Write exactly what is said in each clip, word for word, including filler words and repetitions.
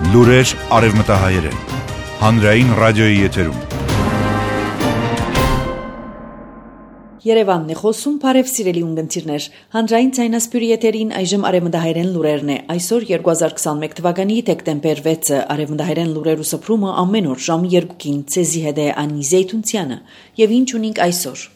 Լուրեր արևմտահայերեն, հանրային ռադիոյի եթերում։ Երևանն է խոսում, բարև սիրելի ունգընտիրներ, հանրային ցայնասպյուրի եթերին այժմ արևմտահայերեն լուրերն է, այսօր երկու հազար քսաներկու թվականի դեկտեմբեր վեցը, արևմտահայերեն լուրեր ու սփռումը ամեն օր ժամ երկուին, ցեզի հետ է Անի Զեյթունցյանը, եւ ինչ ունենք այսօր։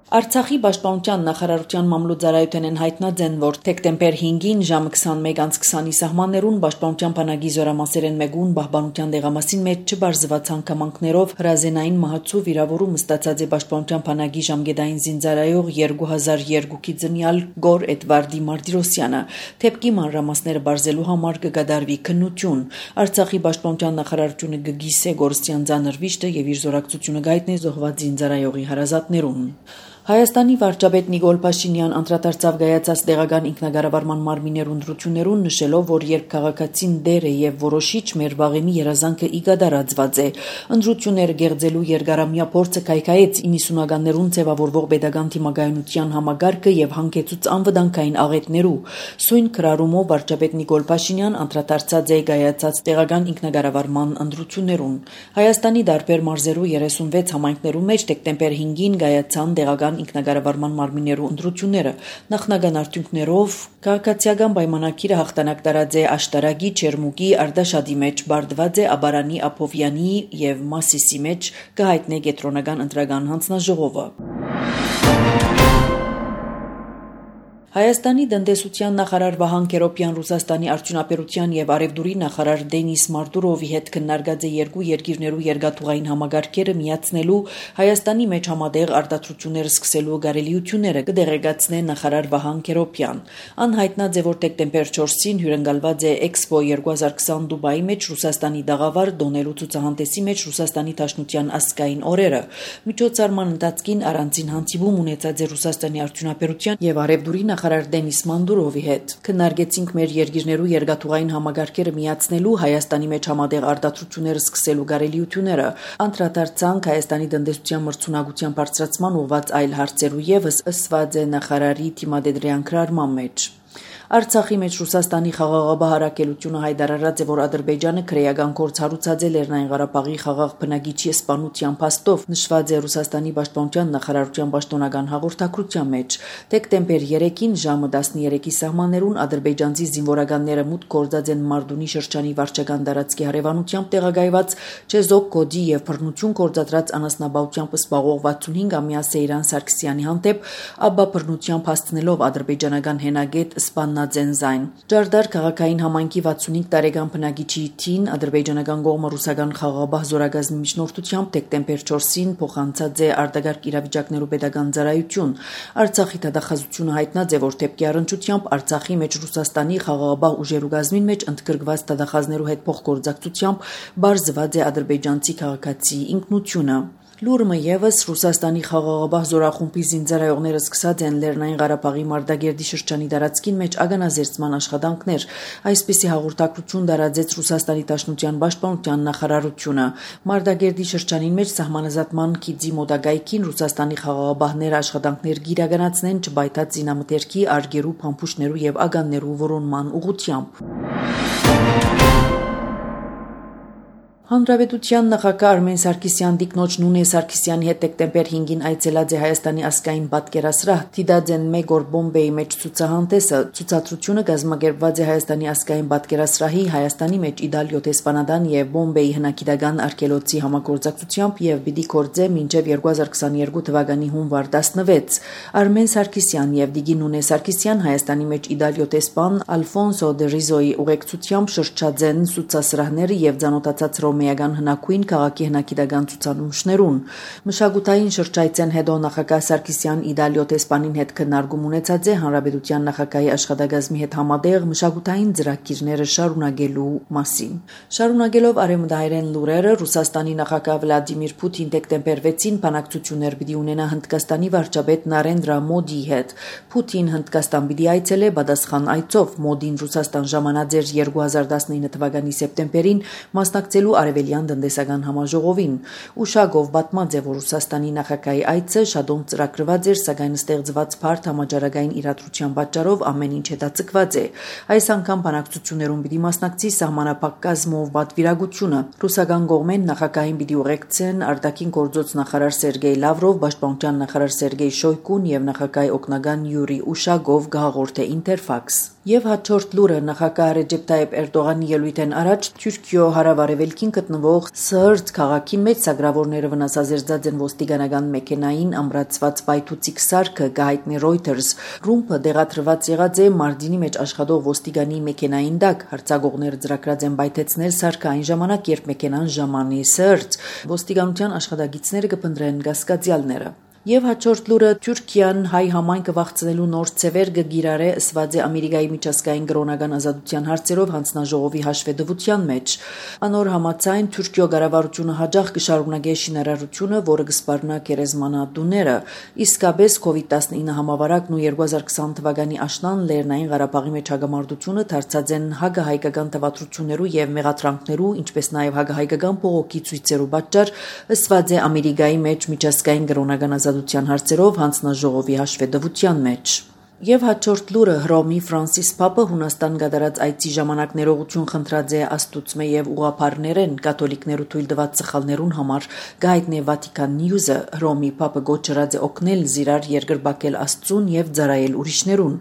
Արցախի պաշտպանության նախարարության մամլոյ-ծառայության են հայտնածեն, որ դեկտեմբեր հինգին ժամը քսանմեկ քսանի սահմաններուն պաշտպանության բանակի զորամասերեն մեկուն պահպանության դեղամասին մեջ չբարձված հանգամանքներով հրազենային մահացու վիրավորում ստացած է պաշտպանության բանակի ժամկետային զինծառայող երկու հազար երկուքի ծնյալ Գոր Էդվարդի Մարտիրոսյանը։ Թեփքի մանրամասները բարձելու համար կգադարվի քննություն։ Արցախի պաշտպանության նախարարությունը կգիսե Գորստյան ծանր վիշտը եւ իր զորակցությունը գայտնի զոհված զինծառայողի հարազատներուն։ Հայաստանի վարչապետ Նիկոլ Փաշինյան անդրադարձավ գայացած տեղական ինքնագարավարման մարմիններ ընտրություններուն, նշելով, որ երբ քաղաքացին դեր է եւ որոշիչ մեր վաղեմի երազանքը իգադարածված է, ընտրությունները գեղձելու երկարամյա փորձը կայքայեց իննսունականներուն ձևավորվող pedagogan թիմագայունության համագարկը եւ հանգեցուց անվտանգային աղետներու։ Սույն քրարումով վարչապետ Նիկոլ Փաշինյան անդրադարձած է գայացած տեղական ինքնագարավարման ընտրություններուն։ Հայաստանի դարբեր մարզերու երեսունվեց համայնքներու մեջ դեկտեմբեր հինգին գայացան տեղական ինքնագարավարման մարմիններու ընտրությունները նախնական արդյունքներով քաղաքացիական պայմանագիրը հաղթանակ տարած է Աշտարակի, Չերմուկի, Արդաշադի մեջ բարձված է Աբարանի, Ափովյանի եւ Մասիսի մեջ կհայտնե կենտրոնական ընտրական հանձնաժողովը։ Հայաստանի տնտեսության նախարար Վահան Քերոբյան Ռուսաստանի արդյունաբերության եւ արևդուրի նախարար Դենիս Մարտուրովի հետ քննարկած է երկու երկիրներու երկաթուղային համագարկերը միացնելու Հայաստանի մեջ համատեղ արտադրություններ սկսելու գարելիությունները կդեղեկացնե նախարար Վահան Քերոբյան։ Անհայտնած է, որ դեկտեմբեր չորսին հյուրընկալված է Էքսպո երկու հազար քսան Դուբայի մեջ Ռուսաստանի դաղավար դոնելու ցուցահանդեսի մեջ Ռուսաստանի Դաշնության ազգային օրերը։ Միջոցառման ընթացքին առանձին հանդիպում ունեցած է Ռուսաստանի արդյունաբերության եւ արևդուրի նախարար Դենիս Մանդուրովի հետ քննարկեցինք մեր երկիրներու երկաթուղային համագարկերը միացնելու Հայաստանի մեջ համատեղ արտադրությունները սկսելու գարելիությունները, անդրադարձանք Հայաստանի տնտեսության մրցունակության բարձրացման ուղղված այլ հարցերու եւս ըսված է նախարարի թիմադեդրյան քրարման մեջ։ Արցախի մեջ Ռուսաստանի խաղաղաբահարակելությունը հայտարարած է, որ Ադրբեջանը քրեական գործ հարուցած է Լեռնային Ղարաբաղի խաղաղ բնակիչի սպանության փաստով, նշված է Ռուսաստանի պաշտպանության նախարարության պաշտոնական հաղորդակցության մեջ։ Դեկտեմբեր երեքին ժամը տասներեքի սահմաններուն ադրբեջանցի զինվորականները մուտք գործած են Մարդունի շրջանի վարչական տարածքի հարևանությամբ տեղակայված Չեզոկ կոդի եւ բռնություն գործադրած անասնաբավությամբ սպաղող վաթսունհինգամյա Սեյրան Սարգսյանի հանդեպ, ապա բռնությամբ հասցնելով ադրբեջանական հենագետ սպան Նաձենզայն Ջարդար քաղաքային համայնքի վաթսունհինգ տարեկան բնակիչի թին ադրբեջանական կողմը ռուսական խաղաղաբահ զորագազմի միջնորդությամբ դեկտեմբեր չորսին փոխանցած է արտագարկ իրավիճակներու pedagogan ծառայություն։ Արցախի դատախազությունը հայտնած է, որ դեպքի առնչությամբ Արցախի մեջ Ռուսաստանի խաղաղաբահ ուժերու գազմին մեջ ընդգրկված դատախազներու հետ փոխգործակցությամբ բարձված է ադրբեջանցի քաղաքացի ինքնությունը։ Լուրը եւս Ռուսաստանի խաղաղաբահ զորախումբի զինծառայողները սկսած են Լեռնային Ղարաբաղի Մարտագերդի շրջանի տարածքին մեջ ագանազերծման աշխատանքներ, այսպիսի հաղորդակցություն տարածեց Ռուսաստանի Դաշնության պաշտպանության նախարարությունը։ Մարտագերդի շրջանին մեջ սահմանազատման քիծի մոտակայքին Ռուսաստանի խաղաղաբահները աշխատանքներ գիրականացնեն չբայթած զինամթերքի, արգերու, փամփուշտներու եւ ագաններու որոնման ուղղությամբ։ Հանրապետության նախագահ Արմեն Սարգսյան դիկնոջ Նունե Սարգսյանի հետ դեկտեմբեր հինգին այցելած է Հայաստանի ազգային պատկերասրահ Թիդաձեն Մեգոր Բոմբեի մեջ ցուցահանդեսը։ Ցուցադրությունը կազմակերպված է Հայաստանի ազգային պատկերասրահի Հայաստանի մեջ Իդալիո տեսփանադան եւ Բոմբեի հնագիտական արգելոցի համագործակցությամբ եւ պիտի կորձե մինչեւ երկու հազար քսաներկու թվականի հունվար տասնվեց։ Արմեն Սարգսյան եւ Դիգի Նունե Սարգսյան Հայաստանի մեջ Իդալիո տեսփան Ալֆոնսո դե Ռիզոյի ուղեկցությամբ շրջաձեն ցուցասրահները եւ ցանոթացած Միական հնագույն քաղաքի հնագիտական ցուցանմուշներուն մշակութային շրջայցեն հետո նախագահ Սարգսյան Իդալիո տեսփանին հետ քննարկում ունեցած է հանրապետության նախագահի աշխատակազմի հետ համատեղ մշակութային ծրագիրները շարունակելու մասին։ Շարունակելով արևմտահայերեն լուրերը, Ռուսաստանի նախագահ Վլադիմիր Պուտին դեկտեմբեր վեցին բանակցություններ պիտի ունենա Հնդկաստանի վարչապետ Նարենդրա Մոդիի հետ։ Պուտին Հնդկաստան պիտի այցելե պատասխան այցով։ Մոդին Ռուսաստան ժամանած էր երկու հազար տասնինը թվականի սեպտեմբերին մասնակցելու Արևելյան տնտեսական համաժողովին։ Ուշագով պատմած է, որ Ռուսաստանի նախագահի այցը շատոն ծրագրված էր, սակայն ստեղծված բարդ համաճարակային իրադրության պատճառով ամեն ինչ հետաձգված է։ Այս անգամ բանակցություններում պիտի մասնակցի սահմանափակ կազմով պատվիրակությունը։ Ռուսական կողմեն նախագահին պիտի ուղեկցեն արտաքին գործոց նախարար Սերգեյ Լավրով, պաշտպանության նախարար Սերգեյ Շոյգուն եւ նախագահի օգնական Յուրի Ուշագով, գահաղորդե Ինտերֆաքս։ Եվ հաջորդ լուրը նախագահ Ռեջեփ Թայիփ Էրդողանի ելույթեն առաջ Թուրքիո հարավարևելքին գտնվող Սըրտ քաղաքի մեջ սակրավորները վնասազերծած են ոստիկանական մեքենային ամրացված պայթուցիկ սարքը, գահիտնի Reuters։ Ռումբը դեղատրված եղած է Մարտինի մեջ աշխատող ոստիկանի մեքենային տակ։ Հարձակողները ծրագրած են պայթեցնել սարքը այն ժամանակ, երբ մեքենան ժամանի Սըրտ։ Ոստիկանության աշխատակիցները կփնտրեն կասկածյալները։ Եվ հաջորդ լուրը Թուրքիան հայ համայնքը վախցնելու նոր ցևեր կգիրառե ըսված է Ամերիկայի միջազգային կրոնական ազատության հարցերով հանձնաժողովի հաշվետվության մեջ։ Անոր համաձայն Թուրքիո կառավարությունը հաջող կշարունակի շինարարությունը, որը կսպառնա գերեզմանատուները։ Իսկապես կովիդ տասնինը համավարակն ու երկու հազար քսան թվականի աշնան Լեռնային Ղարաբաղի մեջ հագամարտությունը դարձած են հագահայկական տվատրություններու եւ մեղադրանքներու, ինչպես նաեւ հագահայկական բողոքի ցույցերու պատճառ, ըսված է Ամերիկայի մեջ միջազգային կրոնական ազատության հարցերով հանձնաժողովի հաշվետվության մեջ։ Եվ հաջորդ լուրը Հռոմի Ֆրանսիս Պապը Հունաստան կատարած այցի ժամանակ ներողություն խնդրած է Աստուծմե եւ ուղղափառներեն կաթոլիկներու թույլ տված սխալներուն համար։ Գայտնե Վատիկան Նյուզը Հռոմի Պապը գոչրած է օգնել զիրար երկրբակել Աստծուն եւ ծառայել ուրիշներուն։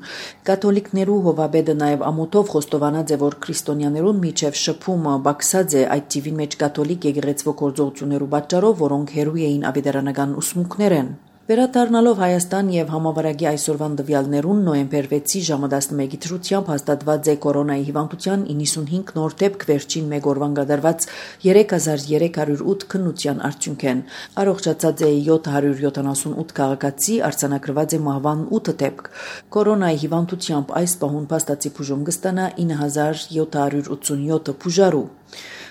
Կաթոլիկներու հովաբեդը նաեւ ամոթով խոստովանած է, որ քրիստոնյաներուն միջև շփումը բացած է այդ տիվին մեջ կաթոլիկ եկեղեցվո գործողություններու պատճառով, որոնք հերույ էին ավետարանական ուսմունքներեն։ Վերադառնալով Հայաստան եւ համավարակի այսօրվան տվյալներուն նոյեմբեր վեցի ժամը տասնմեկի դրությամբ հաստատված է կորոնայի հիվանդության իննսունհինգ նոր դեպք, վերջին մեկ օրվան կատարված երեք հազար երեք հարյուր ութ քննության արդյունքեն։ Առողջացած է յոթ հարյուր յոթանասունութ քաղաքացի, արձանագրված է մահվան ութ դեպք։ Կորոնայի հիվանդությամբ այս պահուն փաստացի բուժում կստանա ինը հազար յոթ հարյուր ութսունյոթ բուժարու։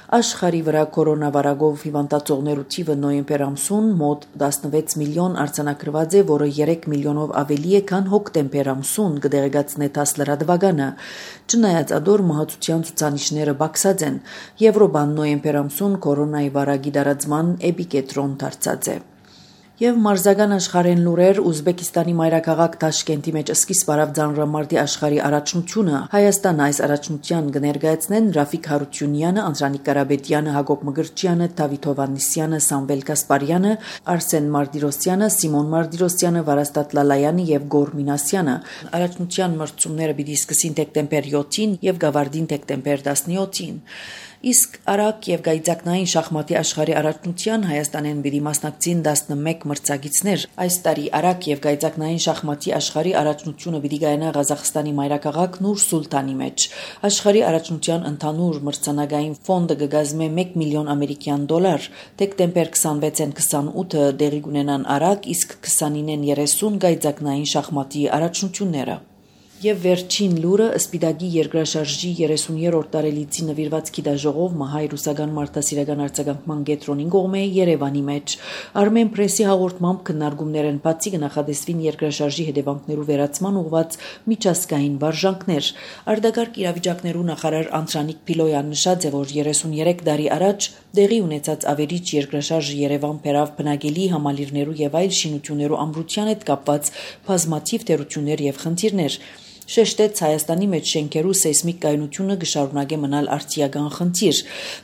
Աշխարհի վրա կորոնավիրուսով հիվանդացողներու թիվը նոյեմբեր ամսուն մոտ տասնվեց միլիոն արձանագրված է, որը երեք միլիոնով ավելի է, քան հոկտեմբեր ամսուն, կդեղեկացնե ՏԱՍՍ լրատվականը։ Չնայած ադոր մահացության ցուցանիշները բացած են, Եվրոպան նոյեմբեր ամսուն կորոնայի վարակի տարածման էպիկենտրոն դարձած է։ Եվ մարզական աշխարհեն լուրեր Ուզբեկիստանի մայրաքաղաք Տաշկենտի մեջ սկիզբ արավ ձանրամարտի աշխարհի առաջնությունը։ Հայաստան այս առաջնության կներկայացնեն Ռաֆիկ Հարությունյանը, Անդրանիկ Կարապետյանը, Հակոբ Մկրտչյանը, Դավիթ Հովհաննիսյանը, Սամվել Կասպարյանը, Արսեն Մարտիրոսյանը, Սիմոն Մարտիրոսյանը, Վարաստատ Լալայանը եւ Գոր Մինասյանը։ Առաջնության մրցումները պիտի սկսին դեկտեմբեր յոթին եւ գավարտին դեկտեմբեր տասնյոթին։ Իսկ արագ եւ գայծակնային շախմատի աշխարհի առաջնության Հայաստանեն պիտի մասնակցին տասնմեկ մրցակիցներ։ Այս տարի արագ եւ գայծակնային շախմատի աշխարհի առաջնությունը պիտի կայանա Ղազախստանի մայրաքաղաք Նուր Սուլտանի մեջ։ Աշխարհի առաջնության ընդհանուր մրցանակային ֆոնդը կգազմե մեկ միլիոն ամերիկյան դոլար։ Դեկտեմբեր քսանվեցին քսանութը դեղի կունենան արագ, իսկ քսանինեն երեսուն գայծակնային շախմատի առաջնությունները։ Եվ վերջին լուրը Սպիտակի երկրաշարժի երեսուներորդ տարելիցի նվիրված գիտաժողով Մահայ ռուսական մարդասիրական արձագանքման կենտրոնին կողմէ Երևանի մեջ։ Armen Press-ի հաղորդմամբ քննարկումներ են բացի կնախադեсվին երկրաշարժի հետևանքներու վերացման ուղղված միջազգային վարժանքներ։ Արտակարգ իրավիճակներու նախարար Անդրանիկ Փիլոյան նշած է, որ երեսուներեք տարի առաջ դեղի ունեցած ավերիչ երկրաշարժը Երևան բերավ բնակելի համալիրներու եւ այլ շինություններու ամրության հետ կապված բազմաթիվ թերություններ եւ խնդիրներ։ Շեշտեց Հայաստանի մեջ շենքերու սեյսմիկ կայունությունը կշարունակե մնալ արդիական խնդիր։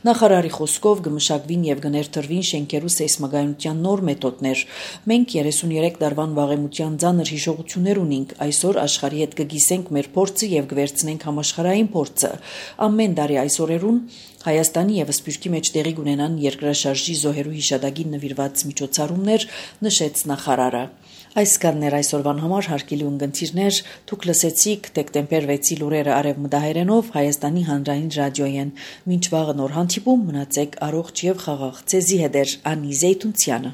Նախարարի խոսքով կմշակվին եւ կներդրվին շենքերու սեյսմակայունության նոր մեթոդներ։ Մենք երեսուներեք տարվան վաղեմության ծանր հիշողություններ ունենք։ Այսօր աշխարհի հետ կգիսենք մեր փորձը եւ կվերցնենք համաշխարհային փորձը։ Ամեն տարի այս օրերուն Հայաստանի եւ Սփյուռքի մեջ տեղի կունենան երկրաշարժի զոհերու հիշատակին նվիրված միջոցառումներ, նշեց նախարարը։ Այս կաններ այսօրվան համար հարգելի ունգընտիրներ, դուք լսեցիք դեկտեմբեր վեցի լուրերը արևմտահայերենով Հայաստանի հանրային ռադիոյեն։ Մինչ վաղը նոր հանդիպում մնացեք առողջ եւ խաղաղ։ Ձեզի հետ է Անի Զեյթունցյանը։